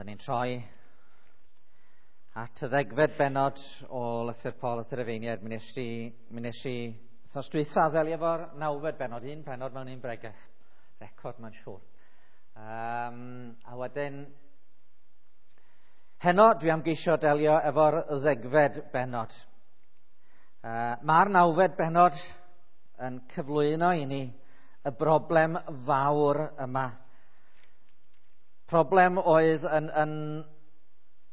Byddwn ni'n troi at y 10fed bennod o lythyr Paul at yr Rhufeiniaid. Mi nes i, mi nes i wythnos dwytha ddelio efo'r 9fed bennod, un pennod mewn un bregeth. Record, mae'n siŵr. A wedyn, heno dwi am geisio delio efo'r 10fed bennod. Mae'r 9fed bennod yn cyflwyno i ni y broblem fawr yma. Problem oedd yn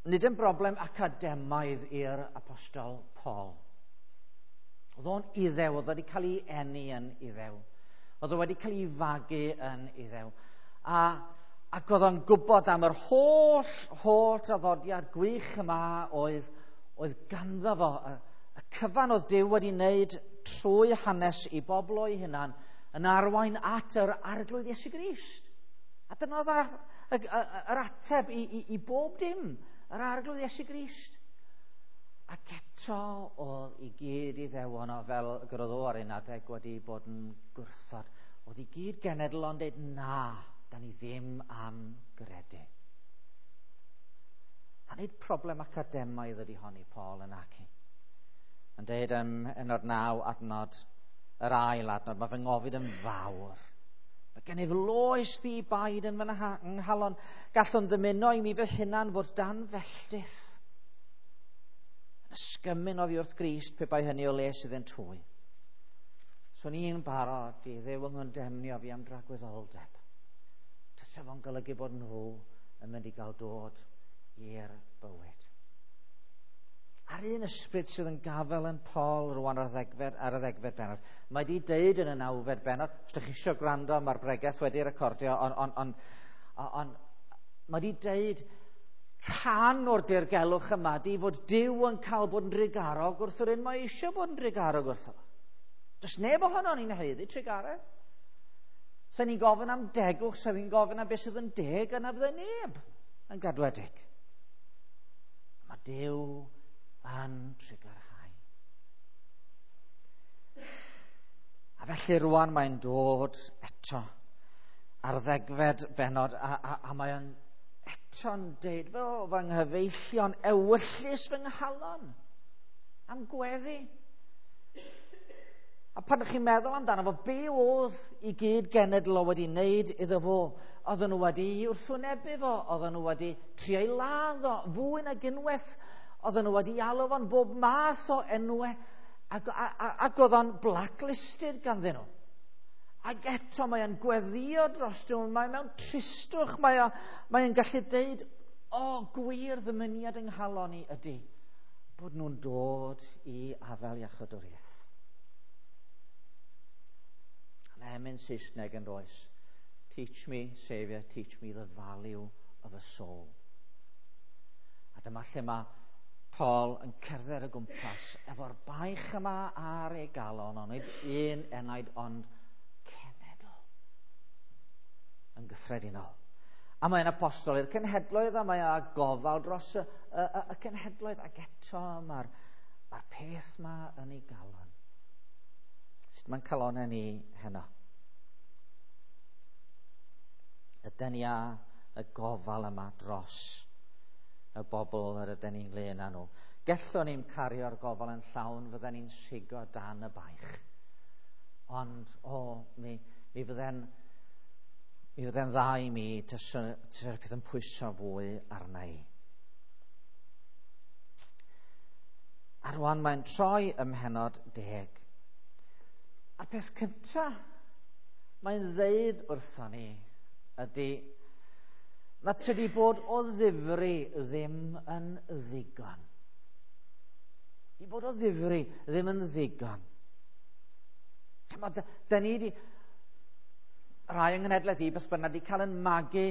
nid yn broblem academaidd i'r apostol Paul. Oedd o'n Iddew, oedd wedi cael ei eni yn Iddew. Oedd o wedi cael ei fagu yn Iddew. Ac oedd o'n gwybod am yr holl traddodiad gwych yma oedd ganddo fo. Y cyfan oedd Duw wedi wneud trwy hanes i bobl o'i hunan yn arwain at yr Arglwydd Iesu Grist. A dyna oedd yr ateb i bob dim, yr Arglwydd Iesu Grist. Ac eto oedd i gyd Iddewon o fel gyrodd o ar un adeg wedi bod yn gwrthod. Oedd i gyd genedl o'n dweud, na, da ni ddim am gredu. A nid problem academaidd ydy hon i Paul yn aci. Yn dweud ym pennod 9 adnod, yr ail adnod, mae fy ngofid yn fawr. Mae gennyf loes ddi-baid yn fy nghalon. Gallwn ddymuno i mi fy hunan fod dan felltith. Yn ysgymyn oddi wrth Grist pe bai hynny o les iddynt hwy. Swn i'n barod i Dduw yng ngondemnio fi am dragwyddoldeb. Tysa fo'n golygu bod nhw yn mynd i gael dod i'r bywyd. A'r un ysbryd sydd yn gafel yn Paul rwan ar y 10fed bennod. Mae di deud yn y 9fed bennod, os ydych chi eisiau gwrando, mae'r bregeth wedi recordio, ond mae di deud rhan o'r dirgelwch yma di fod Duw yn cael bod yn drugarog wrth yr un mae eisiau bod yn drugarog wrtho. Does neb ohono ni'n haeddu trugaredd. Sa'n ni'n gofyn am degwch, sa'n ni'n gofyn am beth sydd yn deg, yna fydde neb yn gadwedig. Mae Duw yn trugarhau. A felly rwan mae'n dod eto ar 10fed bennod a mae'n eto'n deud, fel fy nghyfeillion, ewyllys fy nghalon am gweddi. A pan ydych chi'n meddwl amdano fo, be oedd i gyd genedl o wedi wneud iddo fo? Oedden nhw wedi wrthwynebu fo, oedden nhw wedi trio ei ladd o, fwy nag unwaith. Oedden nhw wedi alw fo'n bob math o enwau ac oedd o'n blacklisted ganddyn nhw. Ac eto mae o'n gweddio dros nhw, mae mewn tristwch, mae o'n gallu deud, o, gwir ddymuniad yng nghalon i ydy bod nhw'n dod i afael iachawdwriaeth. A'n emyn Saesneg yn does. Teach me, Saviour, teach me the value of a soul. A dyma lle mae Paul yn cerdded o gwmpas efo'r baich yma ar ei galon, ond nid un enaid ond cenedl yn gyffredinol. A mae'n apostol i'r cenhedloedd a mae â gofal dros y cenhedloedd, ac eto mae'r peth yma yn ei galon. Sut mae'n calonau ni heno? Ydyn ni â y gofal yma dros y bobl yr ydyn ni'n ynglyn â nhw. Gellwn ni'n cario'r gofal yn llawn, fydden ni'n sigo dan y baich. Ond, mi fydden dda i mi tasa'r peth yn pwyso fwy arna i. A rwan mae'n troi ym mhennod 10. A'r peth cyntaf mae'n ddeud wrthon ni ydy na tydi bod o ddifri ddim yn ddigon. Di bod o ddifri ddim yn ddigon. Da ni di, rai yng nghenhedlaeth i, beth bynnag, di cael yn magu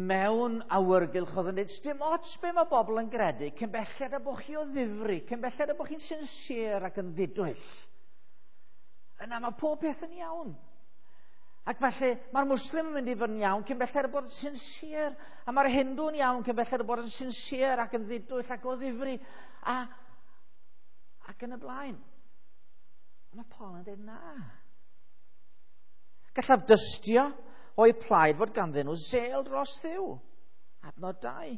mewn awyrgylch oedd yn dweud, dim ots be mae bobl yn gredu, cyn belled a bod chi o ddifri, cyn belled a bod chi'n sincere ac yn ddidwyll. Yna mae pob peth yn iawn. Ac felly mae'r Muslim yn mynd i fod yn iawn cyn belled bod yn sincere, a mae'r Hindw'n iawn cyn belled bod yn sincere ac yn ddidwyll ac o ddifri, ac yn y blaen. A mae Paul yn dweud na. Gallaf dystio o'i plaid fod ganddyn nhw zel dros Dduw. Adnod 2.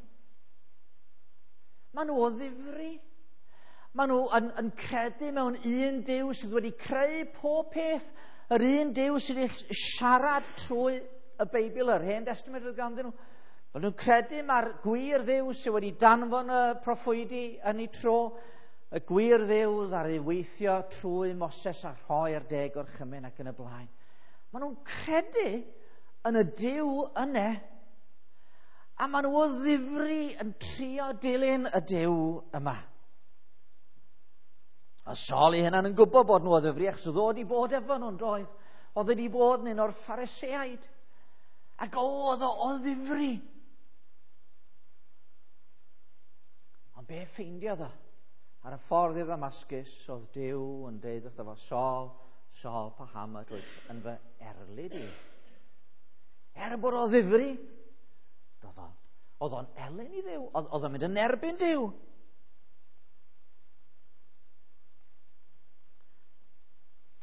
Maen nhw o ddifri. Maen nhw yn credu mewn un Duw sydd wedi creu pob peth, yr un Duw sydd wedi siarad trwy y Beibl, yr Hen Testament oedd ganddyn nhw. Maen nhw'n credu mae'r gwir Dduw sydd wedi danfon y proffwydi yn ei tro, y gwir Dduw ddaru weithio trwy Moses a rhoi'r 10 gorchymyn ac yn y blaen. Maen nhw'n credu yn y Duw yna, a maen nhw o ddifri yn trio dilyn y Duw yma. A Saul ei hunan yn gwybod bod nhw o ddifri, achos oedd o wedi bod efo nhw'n doedd. Oedd wedi bod yn un o'r Phariseaid. Ac oedd o ddifri. Ond be ffeindiodd o? Ar y ffordd i Ddamascus, oedd Duw yn deud wrtho fo, Saul, Saul, paham ydw wyt yn fy erlid i? Er bod o ddifri, oedd o'n elyn i Dduw, oedd o'n mynd yn erbyn Duw.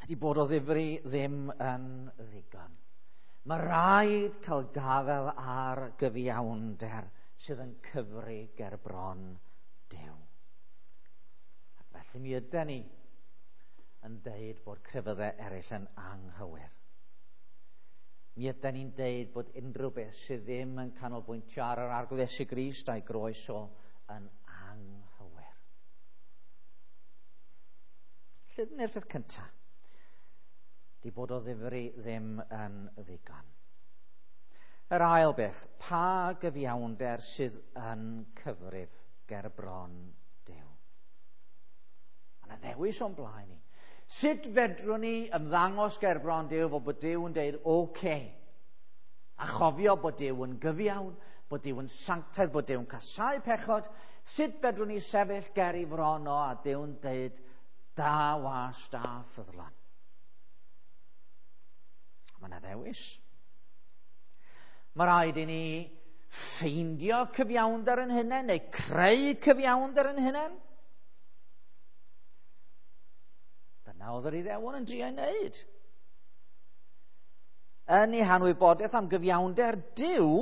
Tydi bod o ddifri ddim yn ddigon. Mae rhaid cael gafael ar gyfiawnder sydd yn cyfri ger bron Duw. Ac felly mi yden ni yn deud bod crefyddau eraill yn anghywir. Mi yden ni'n deud bod unrhyw beth sydd ddim yn canolbwyntio ar yr Arglwydd Iesu Grist a'i groes o yn anghywir. Lle dyna'r peth cyntaf? Di bod o ddifri ddim yn ddigon. Yr ail beth, pa gyfiawnder sydd yn cyfrif ger bron Duw? Mae yna ddewis o'n blaen ni. Sut fedrwn ni ymddangos ger bron Duw fod bod Duw yn deud, oce. A chofio bod Duw yn gyfiawn, bod Duw yn sanctaidd, bod Duw yn casáu pechod. Sut fedrwn ni sefyll ger ei fron o a Duw'n deud, da was, da ffyddlon. Mae yna ddewis. Mae rhaid i ni ffeindio cyfiawnder yn hunain, neu creu cyfiawnder yn hunain. Dyna oedd yr Iddewon yn drio ei wneud. Yn ei hanwybodaeth am gyfiawnder Duw,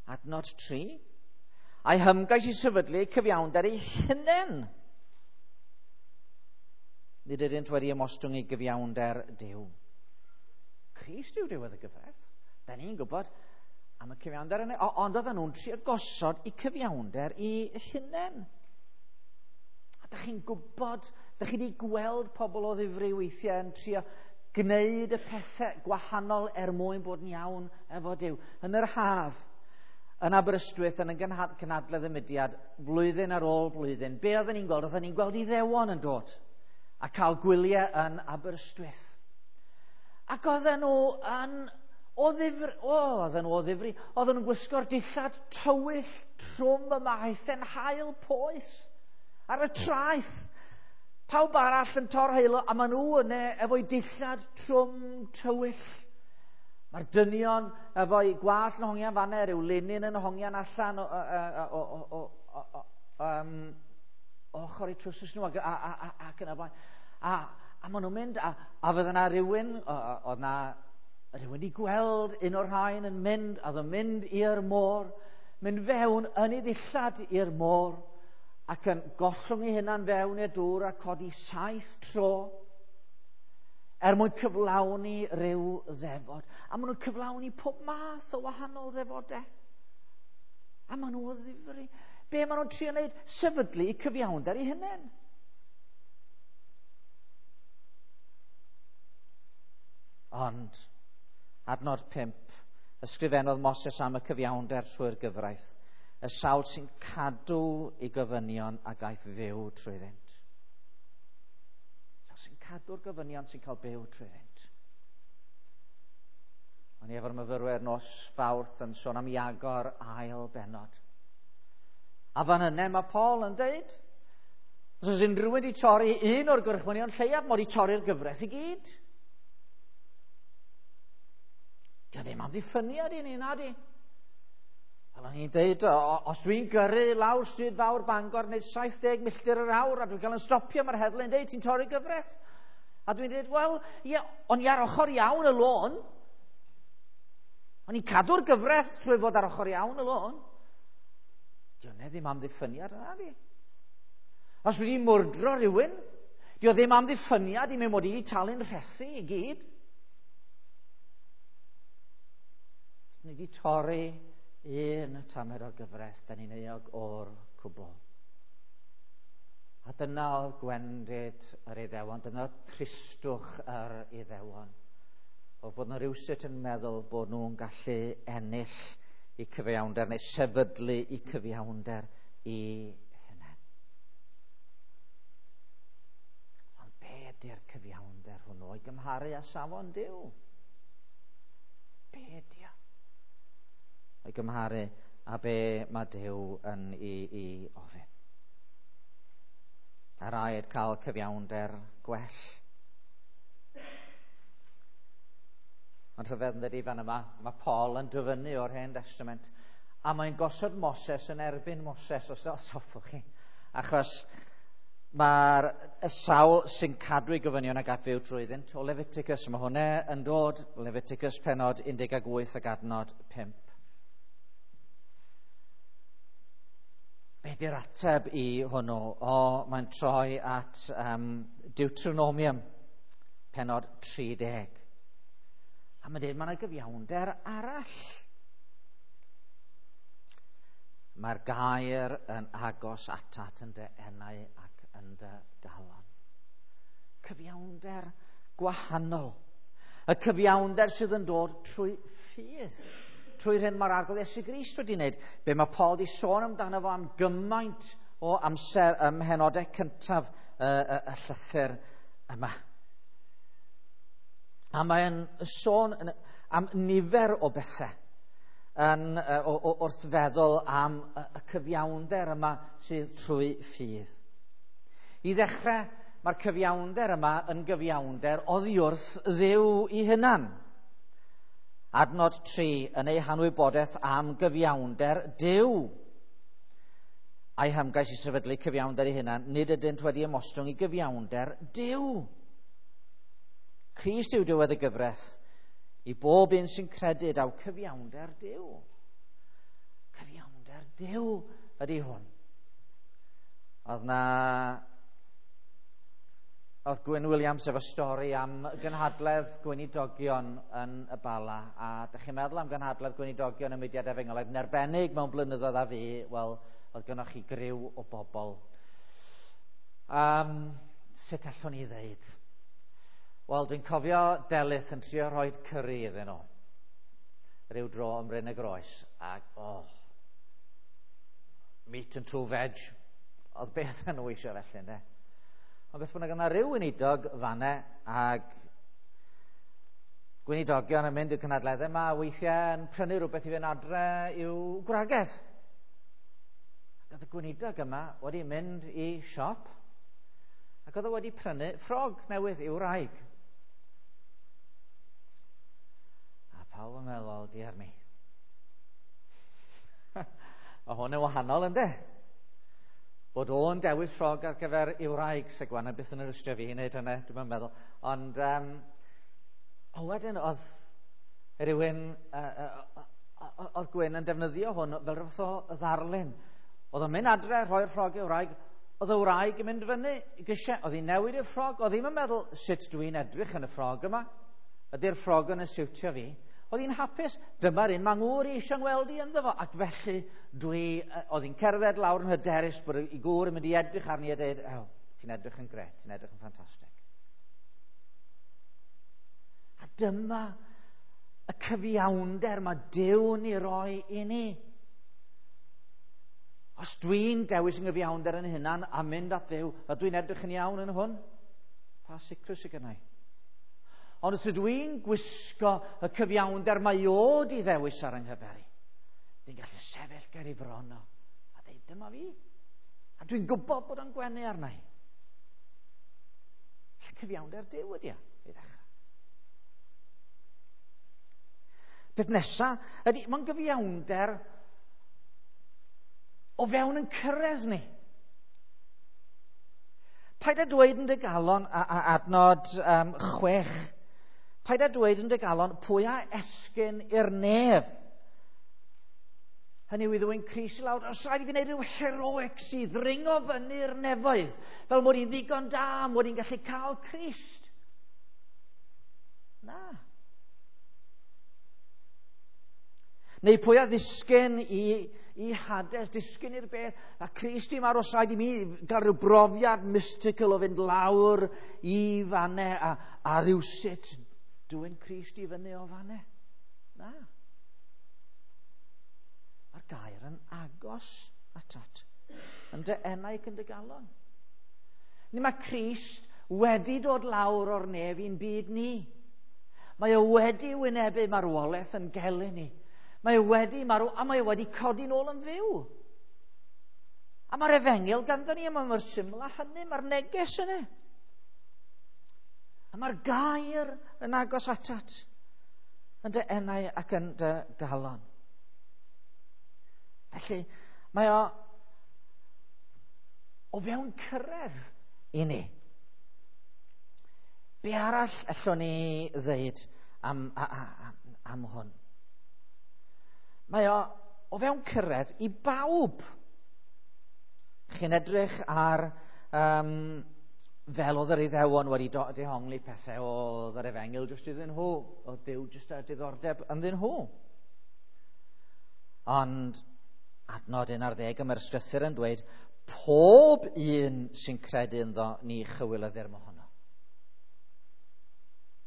adnod 3, a'i hymgais i sefydlu cyfiawnder ei hunain. Nid ydynt wedi ymostwng i gyfiawnder Duw. Crist yw diwedd y gyfraith. Da ni'n gwybod am y cyfiawnder yna, ond oedden nhw'n trio gosod i cyfiawnder i hunain. A da chi'n gwybod, da chi wedi gweld pobl o ddifri weithiau yn trio gwneud y pethau gwahanol er mwyn bod yn iawn efo Duw. Yn yr haf, yn Aberystwyth, yn y gynhadledd y mudiad, blwyddyn ar ôl blwyddyn, be oedden ni'n gweld? Oedden ni'n gweld Iddewon yn dod a cael gwyliau yn Aberystwyth. Ac oedden nhw yn o ddifri, oedden nhw o ddifri, oedden nhw'n gwisgo'r dillad tywyll trwm yma, aethau'n haul poeth ar y traeth. Pawb arall yn torheilo, a maen nhw yna efo'i dillad trwm tywyll. Mae'r dynion efo'i gwallt yn hongian fanna, rhyw linyn yn hongian allan ochr eu trowsus nhw ac yn y blaen. A maen nhw'n mynd, a fydde yna rhywun, oedd na rhywun wedi gweld un o'r rhain yn mynd, a oedd yn mynd i'r môr, mynd fewn yn ei ddillad i'r môr, ac yn gollwng ei hunan fewn i'r dŵr a codi 7 tro, er mwyn cyflawni rhyw ddefod. A maen nhw'n cyflawni pob math o wahanol ddefodau. A maen nhw o ddifri. Be maen nhw'n trio wneud? Sefydlu cyfiawnder eu hunain. Ond, adnod 5, ysgrifennodd Moses am y cyfiawnder trwy'r gyfraith, y sawl sy'n cadw ei gofynion a gaiff fyw trwyddynt. Sawl sy'n cadw'r gofynion sy'n cael byw trwyddynt. O'n i efo'r myfyrwyr nos Fawrth yn sôn am Iago'r ail bennod. A fan yna mae Paul yn deud, os oes unrhyw un wedi torri un o'r gorchmynion lleiaf, mae wedi torri'r gyfraith i gyd. Dio ddim amddiffyniad i ni, na di. Fel o'n i'n deud, os dwi'n gyrru lawr stryd fawr Bangor wneud 70 milltir yr awr a dwi'n cael yn stopio, mae'r heddlu'n deud, ti'n torri gyfraith. A dwi'n deud, wel, ie, o'n i ar ochr iawn y lôn. O'n i'n cadw'r gyfraith trwy fod ar ochr iawn y lôn. Di hwnna ddim amddiffyniad yna, di. Os dwi wedi mwrdro rhywun, di o ddim amddiffyniad i mi mod i wedi talu'n rhethu i gyd. Ni wedi torri un tamed o'r gyfres, da ni'n euog o'r cwbl. A dyna oedd gwendid yr Iddewon, dyna oedd tristwch yr Iddewon. Oedd bod nhw rhywsut yn meddwl bod nhw'n gallu ennill i cyfiawnder neu sefydlu i cyfiawnder i hunain. Ond be ydy'r cyfiawnder hwnnw o'i gymharu â safon Duw? Be ydy o? O'i gymharu â be mae Duw yn i ofyn. A rhaid cael cyfiawnder gwell. Ond rhyfedd yn dydi fan yma, mae Paul yn dyfynnu o'r Hen Testament, a mae'n gosod Moses yn erbyn Moses, os hoffwch chi. Achos mae'r y sawl sy'n cadw ei gofynion ac at fyw trwyddynt o Leviticus, mae hwnna yn dod, Leviticus penod 18 ac adnod 5. Be di'r ateb i hwnnw? O, mae'n troi at Deuteronomium, penod 30. A mae'n dweud, mae yna gyfiawnder arall. Mae'r gair yn agos atat yn dy enau ac yn dy galon. Cyfiawnder gwahanol. Y cyfiawnder sydd yn dod trwy ffydd. Trwy'r hyn mae'r Arglwydd Iesu Grist wedi wneud. Be mae Paul wedi sôn amdano fo am gymaint o amser ym mhenodau cyntaf y llythyr yma. A mae'n sôn am nifer o bethau yn, wrth feddwl am y cyfiawnder yma sydd trwy ffydd. I ddechrau, mae'r cyfiawnder yma yn gyfiawnder oddi wrth Dduw i hunan. Adnod 3 yn ei hanwybodaeth am gyfiawnder Duw. A'i hymgais i sefydlu cyfiawnder ei hunan, nid ydynt wedi ymostwng i gyfiawnder Duw. Crist yw diwedd y gyfraith i bob un sy'n credu daw cyfiawnder Duw. Cyfiawnder Duw ydy hwn. Oedd Gwyn Williams efo stori am gynhadledd gweinidogion yn y Bala, a dych chi'n meddwl am gynhadledd gweinidogion y mudiad efengylaidd yn arbennig mewn blynyddoedd a fi, wel, oedd gynnoch chi griw o bobl. Sut allwn ni ddeud? Wel, dwi'n cofio Delyth yn trio rhoi curry iddyn nhw ryw dro ym Mryn y Groes, ac meat and two veg, oedd beth yn nhw eisiau felly, ynddo? Ond beth bynnag, yna rhyw weinidog fanne, ag gweinidogion yn mynd i'r cynadleddau yma, weithiau yn prynu rhywbeth i fynd adre i'w gwragedd. Ac oedd y gweinidog yma wedi mynd i siop, ac oedd o wedi prynu ffrog newydd i'w wraig. A pawb yn meddwl, wel, diar mi. Mae hwn yn wahanol, ynddo? Bod o'n dewis ffrog ar gyfer i'w wraig, Segwan, a byth yn yr fi i wneud hynny, dwi'n meddwl. Ond, wedyn oedd rhywun, oedd Gwyn yn defnyddio hwn fel rhywbeth o ddarlun. Oedd o'n mynd adre, rhoi'r ffrog i'w wraig, oedd y wraig yn mynd fyny i grisiau, oedd hi'n newid i'r ffrog, oedd hi'n meddwl, sut dwi'n edrych yn y ffrog yma? Ydy'r ffrog yn y siwtio fi? Oedd hi'n hapus, dyma'r un mae ngŵr i eisiau ngweld i ynddo fo, ac felly oedd hi'n cerdded lawr yn hyderus bod ei gŵr yn mynd i edrych arni a dweud, oh, ti'n edrych yn gret, ti'n edrych yn ffantastig. A dyma y cyfiawnder mae Duw'n ei roi i ni. Os dwi'n dewis yng nghyfiawnder yn hunan a mynd at Dduw, a dwi'n edrych yn iawn yn hwn, pa sicrwydd sydd gennau? Ond os ydw i'n gwisgo y cyfiawnder mae o di ddewis ar yng nghyfer i, dwi'n gallu sefyll ger ei fron o a dweud, dyma fi. A dwi'n gwybod bod o'n gwenu arna i. Cyfiawnder Duw ydy o, i ddechrau. Peth nesaf ydy, mae'n gyfiawnder o fewn yn cyrraedd ni. Paid â dweud yn dy galon, a adnod 6, paid â dweud yn dy galon pwy a esgyn i'r nef. Hynny yw i ddwyn Crist i lawr. Os rhaid i fi wneud rhyw heroics i ddringo fyny'r nefoedd, fel mod i'n ddigon da, mod i'n gallu cael Crist. Na. Neu pwy a ddisgyn i Hades, disgyn i'r beth, a Crist i marw, os rhaid i mi gael rhyw brofiad mystical o fynd lawr i fanne a rhywsut dwyn Crist i fyny o fanne. Na. Mae'r gair yn agos atat, yn dy enau ac yn dy galon. Ni mae Crist wedi dod lawr o'r nef i'n byd ni. Mae o wedi wynebu marwolaeth yn gelyn ni. Mae o wedi marw a mae o wedi codi nôl yn fyw. A mae'r efengyl ganddo ni, a mae mor syml â hynny, mae'r neges yna. A mae'r gair yn agos atat, yn dy enau ac yn dy galon. Felly, mae o fewn cyrraedd i ni. Be arall allwn ni ddeud am hwn? Mae o fewn cyrraedd i bawb. Chi'n edrych ar fel oedd yr Iddewon wedi dehongli pethau, oedd yr efengyl jyst iddyn nhw, oedd Duw jyst â diddordeb ynddyn nhw. Ond adnod 11 mae'r ysgrythur yn dweud, pob un sy'n credu ynddo ni chywilyddir mohono.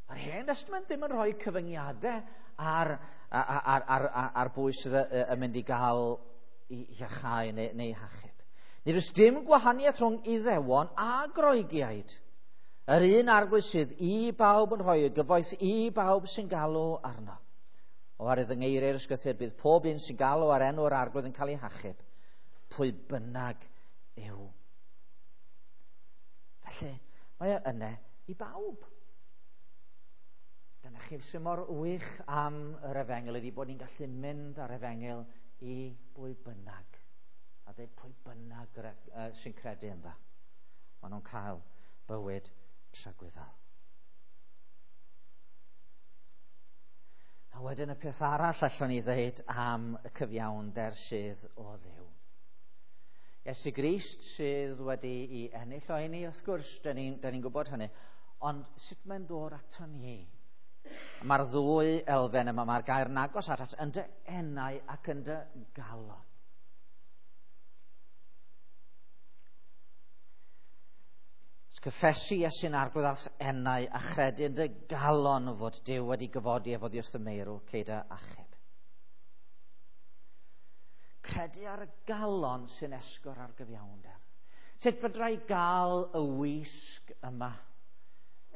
Mae'r Hen Testament ddim yn rhoi cyfyngiadau ar bwy sydd yn mynd i gael i iachau neu hachub. Nid oes dim gwahaniaeth rhwng Iddewon a Groegiaid. Yr un arglwydd sydd i bawb yn rhoi y gyfoeth i bawb sy'n galw arno. Oherwydd yng ngeiriau'r ysgrythur bydd pob un sy'n galw ar enw'r arglwydd yn cael ei hachub, pwy bynnag yw. Felly, mae o yna i bawb. Dyna chi sy'n mor wych am yr efengyl ydy bod ni'n gallu mynd ar efengyl i bwy bynnag. A dweud pwy bynnag sy'n credu ynddo. Maen nhw'n cael bywyd tragwyddol. A wedyn y peth arall allwn ni ddeud am y cyfiawnder sydd o Dduw. Iesu Grist sydd wedi i ennill o i ni, wrth gwrs, dyn ni'n gwybod hynny. Ond sut mae'n dod ato ni? Mae'r ddwy elfen yma, mae'r gair yn agos atat yn dy enau ac yn dy galon. Cyffesu Iesu'n arglwydd a'th enau a chredu yn dy galon fod Duw wedi gyfodi ef oddi wrth y meirw, cei dy achub. Credu ar y galon sy'n esgor ar gyfiawnder. Sut fedra i gael y wisg yma?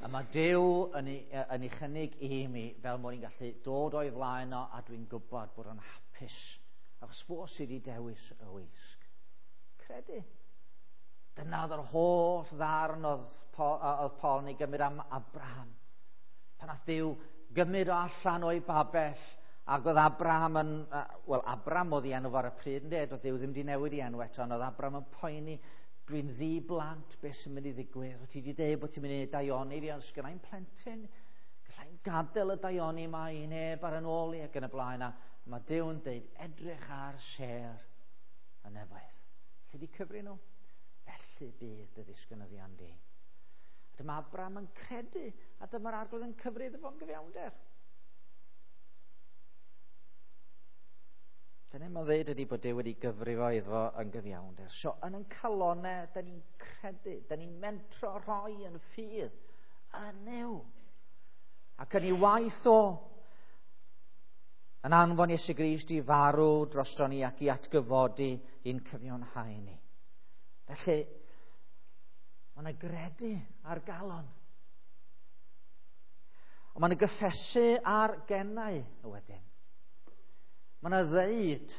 A mae Duw yn ei chynnig i mi fel mod i'n gallu dod o'i flaen o a dwi'n gwybod bod o'n hapus. Achos fo sydd wedi dewis y wisg. Credu. Dyna oedd yr holl ddarn oedd Paul yn ei gymryd am Abraham. Pan nath Duw gymryd o allan o'i babell, ac oedd Abraham yn... Wel, Abram oedd ei enw ar y pryd, ynde? Doedd Duw ddim wedi newid ei enw eto, ond oedd Abraham yn poeni, dwi'n ddi-blant, beth sy'n mynd i ddigwydd? Wyt ti wedi dweud bod ti'n mynd i daioni fi, ond sgynna i'm plentyn. Galla i'm gadael y daioni yma i neb ar yn ôl i ac yn y blaen. A mae Duw yn dweud, edrych ar sêr y nefoedd. Lle di cyfri nhw? Felly bydd dy ddisgynyddion di. A dyma Abraham yn credu, a dyma'r arglwydd yn cyfri iddo fo'n gyfiawnder. Dyna mae'n dweud ydy bod Duw wedi gyfrifo iddo fo yn gyfiawnder. So, yn ein calonau, da ni'n credu, da ni'n mentro rhoi yn ffydd yn Nuw. Ac yn ei waith o, yn anfon Iesu Grist i farw drosto ni ac i atgyfodi i'n cyfiawnhau ni. Felly, mae yna gredu ar galon. Ond mae yna gyffesu ar gennau wedyn. Mae yna ddeud,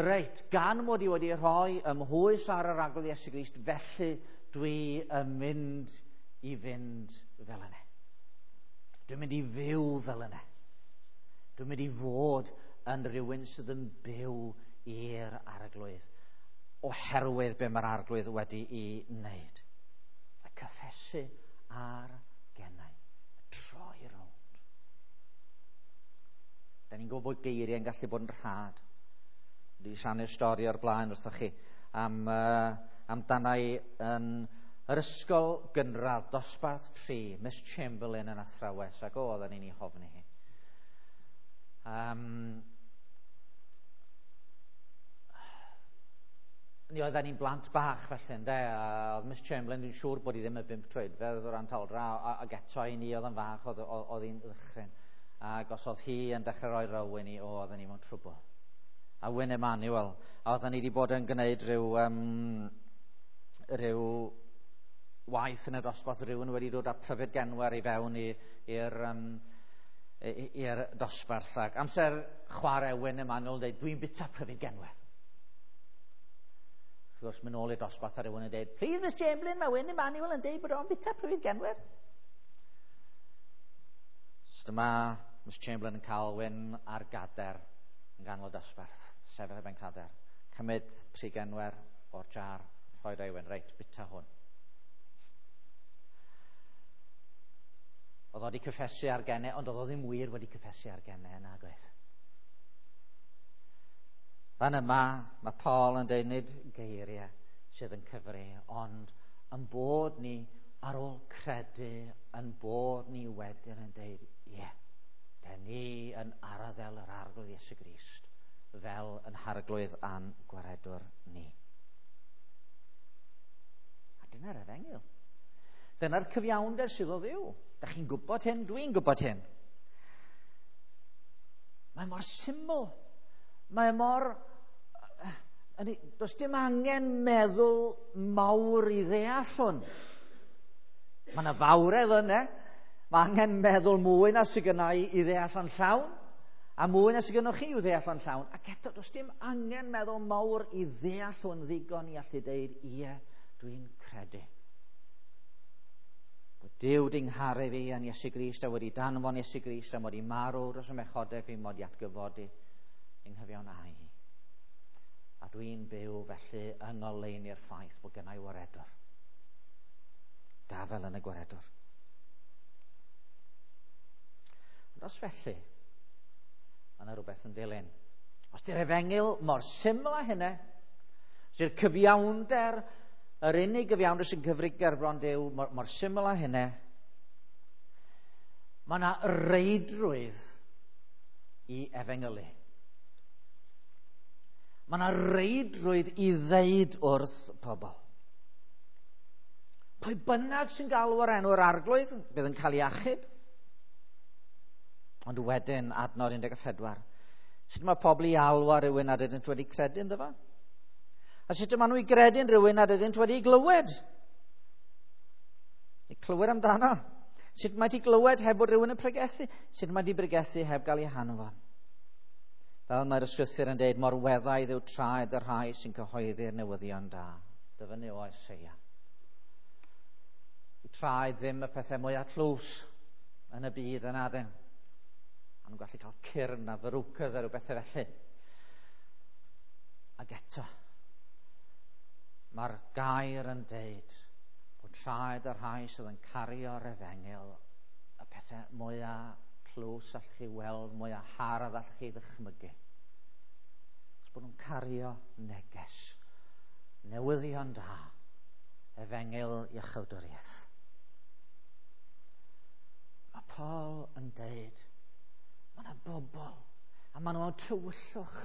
reit, gan mod i wedi rhoi ymhwys ar yr arglwydd Iesu Grist, felly dwi yn mynd i fynd fel yna. Dwi'n mynd i fyw fel yna. Dwi'n mynd i fod yn rhywun sydd yn byw i'r arglwydd, oherwydd be mae'r arglwydd wedi'i wneud. Y cyffesu ar gennau, y troi rownd. Da ni'n gwybod bod geiriau yn gallu bod yn rhad. Wedi rhannu'r stori o'r blaen wrthoch chi am amdana i yn yr ysgol gynradd dosbarth 3, Miss Chamberlain yn athrawes, ac oedden ni'n ei hofni hi. Ni oedden ni'n blant bach felly, ynde, a oedd Miss Chamberlain, dwi'n siŵr bod hi ddim y 5 troedfedd o ran taldra, ac eto i ni oedd yn fach, oedd hi'n ddychryn. Ac os oedd hi yn dechrau rhoi row i ni, oedden ni mewn trwbl. A Wyn Emanuel, a oedden ni wedi bod yn gwneud rhyw waith yn y dosbarth, rhywun wedi dod â pryfed genwer i fewn i'r dosbarth. Ac amser chwarae Wyn Emanuel yn dweud, dwi'n bita pryfed genwer. Wrth gwrs, mynd nôl i'r dosbarth a rhywun yn dweud, please Miss Chamberlain, mae Wyn Emanuel yn dweud bod o'n bita pryfed genwer. So dyma Miss Chamberlain yn cael Wyn ar gader yn ganol dosbarth, sefyll ar ben cader, cymryd pry genwer o'r jar, rhoi i Wyn, reit, bita hwn. Oedd o wedi cyffesu ar genne, ond oedd o ddim wir wedi cyffesu ar genne, nag oedd. Fan yma, mae Paul yn dweud nid geiriau sydd yn cyfri, ond yn bod ni ar ôl credu, yn bod ni wedyn yn dweud, ie, den ni yn arddel yr Arglwydd Iesu Grist fel yn harglwydd a'n gwaredwr ni. A dyna'r efengyl. Dyna'r cyfiawnder sydd o Dduw. Da chi'n gwybod hyn, dwi'n gwybod hyn. Mae mor syml. Mae mor... Does dim angen meddwl mawr i ddeall hwn. Mae yna fawredd yna. Mae angen meddwl mwy na sydd gynna i i ddeall o'n llawn, a mwy na sydd gynnoch chi i'w ddeall o'n llawn. Ac eto, does dim angen meddwl mawr i ddeall hwn ddigon i allu deud, ie, dwi'n credu. Bod Duw di ngharu fi yn Iesu Grist a wedi danfon Iesu Grist a mod i marw dros y mechodau fi mod i atgyfodi yng nghyfiawnhau. A dwi'n byw felly yng ngoleuni'r ffaith bod gennau waredwr. Gafel yn y gwaredwr. Ond os felly, mae yna rhywbeth yn dilyn. Os di'r efengyl mor syml â hynny, os di'r cyfiawnder, yr unig gyfiawnder sy'n cyfri gerbron Duw mor, mor syml â hynny, mae yna reidrwydd i efengylu. Mae yna reidrwydd i ddeud wrth pobl. Pwy bynnag sy'n galw ar enw'r Arglwydd, bydd yn cael ei achub. Ond wedyn, adnod 14, sut mae pobl i alw ar rhywun nad ydynt wedi credu ynddo fo? A sut maen nhw i gredu'n rhywun nad ydynt wedi glywed? I clywed amdano. Sut mae di glywed heb bod rhywun yn pregethu? Sut mae di pregethu heb gael ei hanfon? Fel mae'r ysgrythur yn dweud, mor weddaidd yw traed y rhai sy'n cyhoeddi'r newyddion da. Dyfynnu o Eseia. I traed ddim y pethau mwyaf tlws yn y byd yn adyn. A nhw'n gallu cael cyrn a verrucas a rhyw bethau felly. Ac eto, mae'r gair yn deud bod traed y rhai sydd yn cario'r efengyl y pethau mwyaf tlws allwch chi weld, mwyaf hardd allwch chi ddychmygu. Os bod nhw'n cario neges, newyddion da, efengyl iachawdwriaeth. Mae Paul yn deud, mae yna bobl, a maen nhw mewn tywyllwch,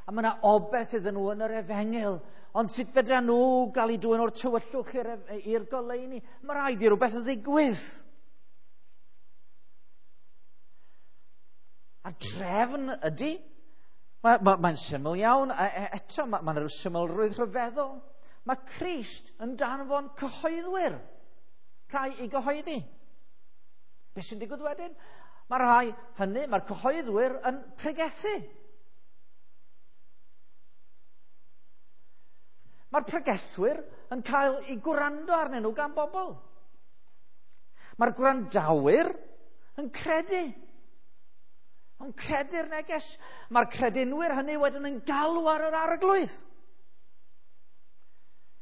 a mae yna obaith iddyn nhw yn yr efengyl, ond sut fedra nhw gael eu dwyn o'r tywyllwch i'r goleuni? Mae rhaid i rhywbeth ddigwydd. A drefn ydy. Mae'n syml iawn, eto mae yna rhyw symlrwydd rhyfeddol. Mae Crist yn danfon cyhoeddwyr, rhai i gyhoeddi. Be sy'n digwydd wedyn? Mae rhai hynny, mae'r cyhoeddwyr yn pregethu. Mae'r pregethwyr yn cael eu gwrando arnyn nhw gan bobl. Mae'r gwrandawyr yn credu. Yn credu'r neges. Mae'r credinwyr hynny wedyn yn galw ar yr Arglwydd.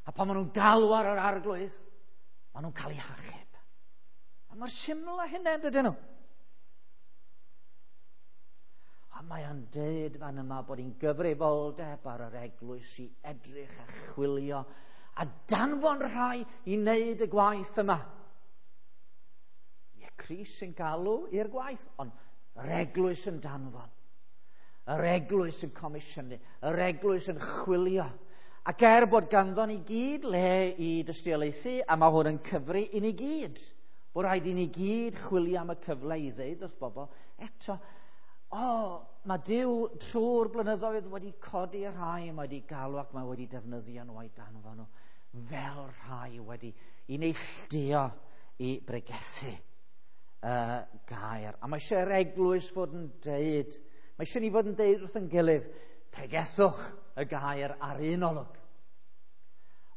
A pan maen nhw'n galw ar yr Arglwydd, maen nhw'n cael eu hachub. A mae'r syml â hynny, dydyn nhw? A mae o'n deud fan yma bod hi'n gyfrifoldeb ar yr eglwys i edrych a chwilio a danfon rhai i wneud y gwaith yma. Ie, Crist sy'n galw i'r gwaith, ond yr eglwys yn danfon. Yr eglwys yn comisiynu, yr eglwys yn chwilio. Ac er bod ganddo ni gyd le i dystiolaethu, a mae hwn yn cyfri i ni gyd, bod rhaid i ni gyd chwilio am y cyfle i ddeud wrth bobl, eto, mae Duw trwy'r blynyddoedd wedi codi y rhai, mae wedi galw ac mae wedi defnyddio nhw a'i danfon nhw fel rhai wedi i neilltuo i bregethu y gair. A mae eisiau'r eglwys fod yn deud, mae eisiau ni fod yn deud wrth yn gilydd, pregethwch y gair ar un olwg.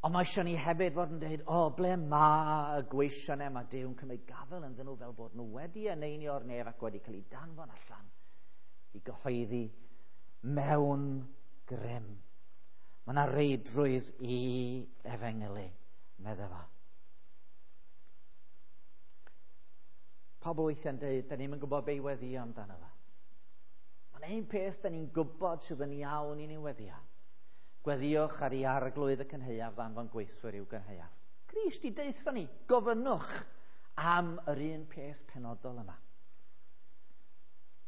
Ond mae eisiau ni hefyd fod yn deud, ble mae y gweision yma, mae Duw yn cymryd gafael ynddyn nhw fel bod nhw wedi eneinio'r nef ac wedi cael eu danfon allan i gyhoeddi mewn grym. Mae yna reidrwydd i efengylu, medde fo. Pobl weithiau'n deud, da ni'm yn gwybod be i weddio amdano fo. Mae'n un peth da ni'n gwybod sydd yn iawn i ni weddio. Gweddiwch ar ei arglwydd y cynhaeaf ddanfon gweithwyr i'w gynhaeaf. Crist i deutha ni, gofynnwch am yr un peth penodol yma.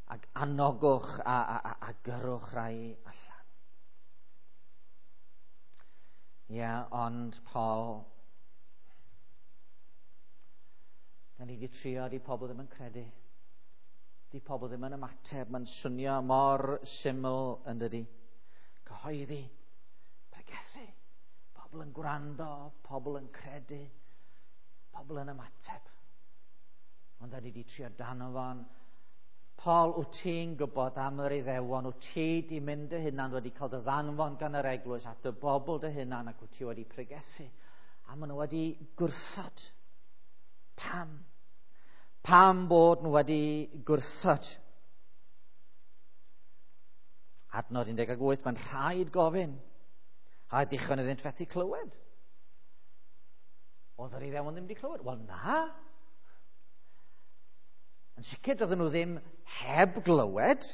Ac anogwch a gyrrwch rai allan. Ie, ond Paul, da ni wedi trio, di pobl ddim yn credu. Di pobl ddim yn ymateb, mae'n swnio mor syml yn dydi. Cyhoeddi, pregethu, pobl yn gwrando, pobl yn credu, pobl yn ymateb. Ond da ni wedi trio danfon. Paul, wyt ti'n gwybod am yr Iddewon, wyt ti di mynd dy hunan, wedi cael dy ddanfon gan yr eglwys at dy bobl dy hunan ac wyt ti wedi pregethu. A maen nhw wedi gwrthod. Pam? Pam bod nhw wedi gwrthod? Adnod 18, mae'n rhaid gofyn. A dichon iddynt fethu clywed. Oedd yr Iddewon ddim wedi clywed? Wel, na. Yn sicr, doedden nhw ddim heb glywed.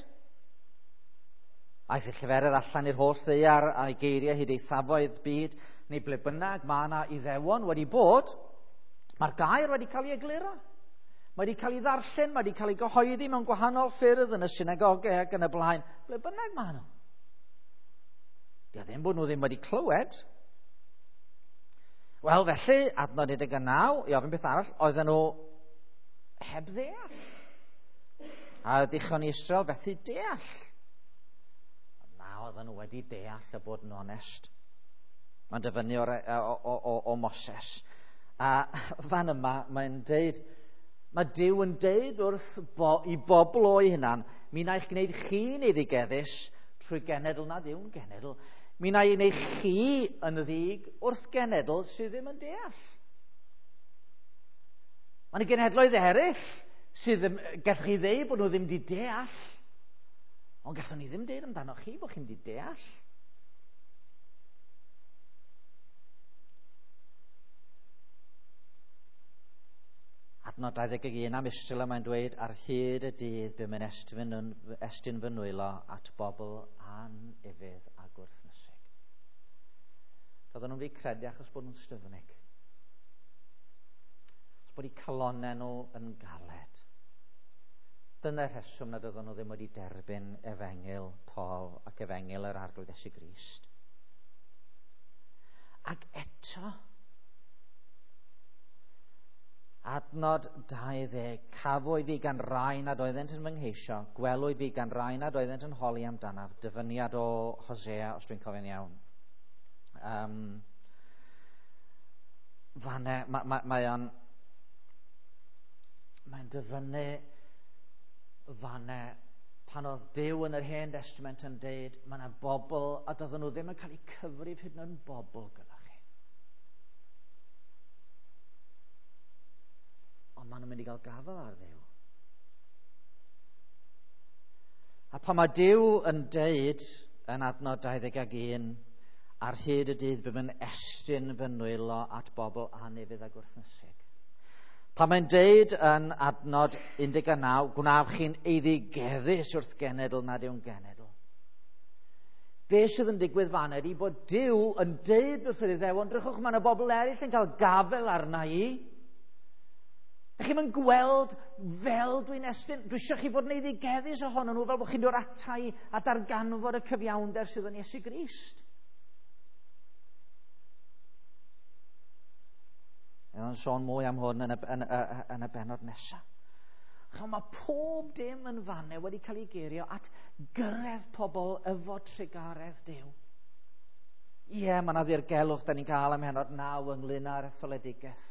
Aeth y lleferydd allan i'r holl ddaear a'i geiriau hyd eithafoedd byd, neu ble bynnag mae yna Iddewon wedi bod, mae'r gair wedi cael ei egluro. Mae wedi cael ei ddarllen, mae wedi cael ei gyhoeddi mewn gwahanol ffyrdd yn y synagogau ac yn y blaen. Ble bynnag mae nhw. Dio ddim bod nhw ddim wedi clywed. Wel, felly, adnod 19, i ofyn beth arall, oedden nhw heb ddeall. A dichon i Israel fethu deall. Na, oedden nhw wedi deall a bod yn onest. Mae'n dyfynnu o Moses. A fan yma, mae'n deud, mae Duw yn deud wrth i bobl o'i hunan, mi wna i'ch gwneud chi'n eiddigeddus trwy genedl nad yw'n genedl. Mi wna i wneud chi yn ddig wrth genedl sydd ddim yn deall. Mae yna genhedloedd eraill sydd ddim, gallwch chi ddeud bod nhw ddim wedi deall, ond gallwn ni ddim deud amdano chi bod chi'n wedi deall. Adnod 21 am Israel mae'n dweud, ar hyd y dydd bum yn estyn fy nwylo at bobl anufudd a gwrthnysig. Doedden nhw'n wedi credu achos bod nhw'n styfnig. Bod eu calonnau nhw yn galed. Dyna'r rheswm nad oedden nhw ddim wedi derbyn efengyl Paul ac efengyl yr Arglwydd Iesu Grist. Ac eto, adnod 20, cafwyd fi gan rai nad oeddent yn fy ngheisio, gwelwyd fi gan rai nad oeddent yn holi amdanaf, dyfyniad o Hosea, os dwi'n cofio'n iawn. Fanne, mae'n dyfynnu fanne pan oedd Duw yn yr Hen Testament yn deud mae yna bobl a doedden nhw ddim yn cael eu cyfrif hyd yn oed yn bobl gyda chi. Ond maen nhw'n mynd i gael gafael ar Dduw. A pan mae Duw yn deud yn adnod 21, ar hyd y dydd bum yn estyn fy nwylo at bobl anufudd a gwrthnysig. Pan mae'n deud yn adnod 19, gwnaf chi'n eiddigeddus wrth genedl nad yw'n genedl. Be sydd yn digwydd fan ydy bod Duw yn deud wrth yr Iddewon, drychwch, mae yna bobl eraill yn cael gafel arna i. Dych chi'm yn gweld fel dwi'n estyn. Dwi eisiau chi fod yn eiddigeddus ohonyn nhw fel bod chi'n dod ata i a darganfod y cyfiawnder sydd yn Iesu Grist. Yn sôn mwy am hwn yn y bennod nesaf. Chos mae pob dim yn fanne wedi cael ei geirio at gyrraedd pobl efo trugaredd Duw. Ie, mae yna ddirgelwch da ni'n cael am hynod 9 ynglyn â'r etholedigaeth.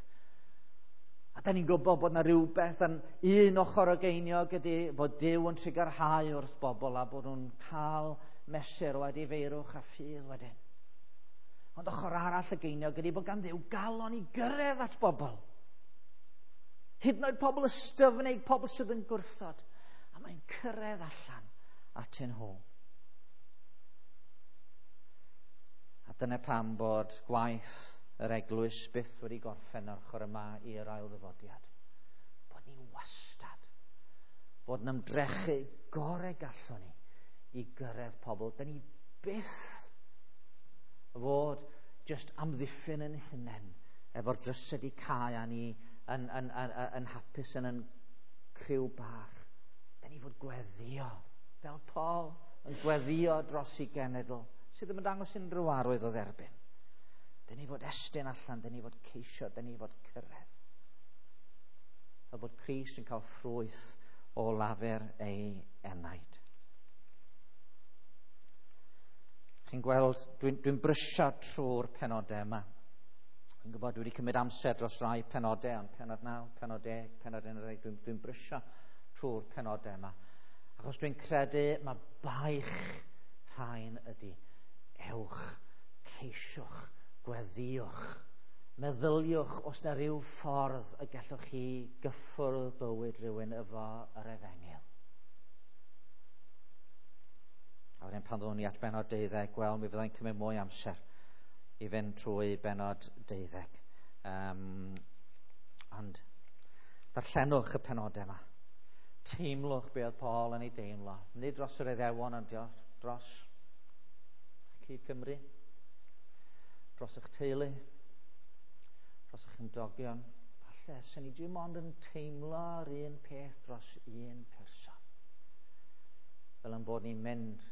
A da ni'n gwybod bod yna rhywbeth yn un ochr o geiniog ydy bod Duw yn trugarhau wrth bobl a bod nhw'n cael mesur o edifeirwch a ffydd wedyn. Ond ochr arall y geiniog ydy bod gan Dduw galon i gyrraedd at bobl. Hyd yn oed pobl ystyfnig, pobl sydd yn gwrthod. A mae'n cyrraedd allan atyn nhw. A dyna pam bod gwaith yr eglwys byth wedi gorffen ar ochr yma i'r ail ddyfodiad. Bod ni wastad, bod yn ymdrechu gorau gallwn ni i gyrraedd pobl. Da ni byth fod just amddiffyn yn hunain efo'r drysau di cau a ni yn hapus yn criw bach. Da ni fod gweddio, fel Paul yn gweddio dros i genedl sydd ddim yn dangos unrhyw arwydd o dderbyn. Da ni fod estyn allan, da ni fod ceisio, da ni fod cyrraedd. A bod Crist yn cael ffrwyth o lafur ei enaid. Chi'n gweld, dwi'n brysio trwy'r penodau yma. Dwi'n gwybod, dwi wedi cymryd amser dros rai penodau, ond penod 9, penod 10, penod 11, dwi'n brysio trwy'r penodau yma. Achos dwi'n credu mae baich rhain ydy ewch, ceisiwch, gweddiwch, meddyliwch os na ryw ffordd y gallwch chi gyffwrdd bywyd rhywun efo yr efengyl. A wedyn pan ddown ni at bennod 12, wel, mi fyddai'n cymryd mwy amser i fynd trwy bennod 12. Ond darllenwch y penodau yma. Teimlwch be oedd Paul yn ei deimlo. Nid dros yr Iddewon, ond dros cyd Cymru, dros eich teulu, dros eich ymdogion. Falle, sy'n ni dim ond yn teimlo'r un peth dros un person. Fel yn bod ni'n mynd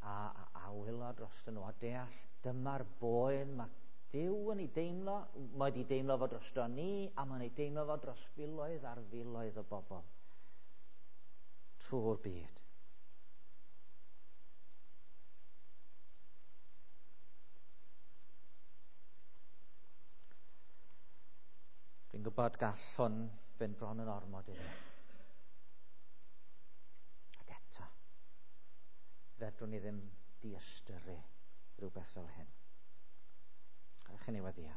a wylo dros nhw a deall dyma'r boen mae Duw yn ei deimlo, mae wedi deimlo fo drosto ni a mae'n ei deimlo fo dros filoedd ar filoedd o bobl trwy'r byd. Dwi'n gwybod gall hwn fynd bron yn ormod i ni. Ac eto, fedrwn ni ddim diystyru rhywbeth fel hyn. Gadewch i ni weddïo.